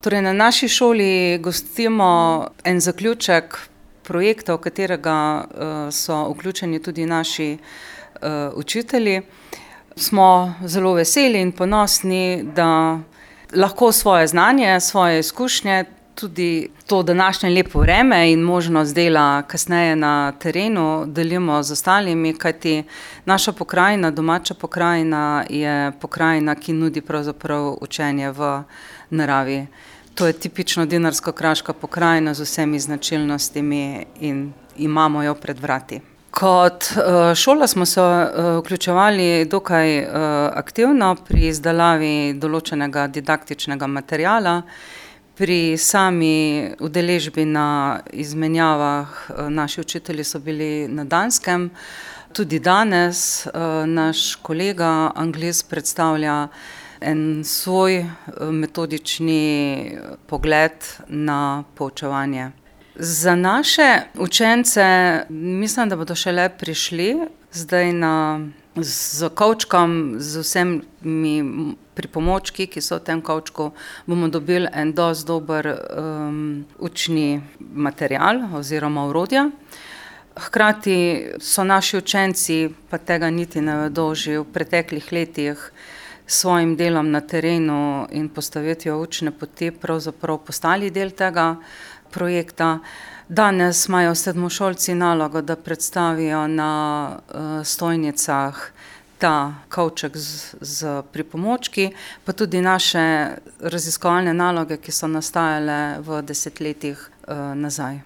Torej, na naši šoli gostimo en zaključek projekta, v katerega so vključeni tudi naši učitelji. Smo zelo veseli in ponosni, da lahko svoje znanje, svoje izkušnje, tudi to današnje lepo vreme in možnost dela kasneje na terenu delimo z ostalimi, kajti naša pokrajina, domača pokrajina je pokrajina, ki nudi pravzaprav učenje v naravi. To je tipično dinarsko-kraška pokrajina z vsemi značilnostmi in imamo jo pred vrati. Kot šola smo se vključevali dokaj aktivno pri izdelavi določenega didaktičnega materiala, pri sami udeležbi na izmenjavah. Naši učitelji so bili na Danskem. Tudi danes naš kolega anglist predstavlja en svoj metodični pogled na poučevanje. Za naše učence mislim, da bodo šele prišli zdaj s kovčkom, z vsemi pripomočki, ki so v tem kovčku, bomo dobili en dosti dober učni material oziroma orodja. Hkrati so naši učenci, pa tega niti ne vedo, že v preteklih letih s svojim delom na terenu in postavitvijo učne poti pravzaprav postali del tega projekta. Danes imajo sedmošolci nalogo, da predstavijo na stojnicah ta kovček z pripomočki, pa tudi naše raziskovalne naloge, ki so nastajale v desetletjih nazaj.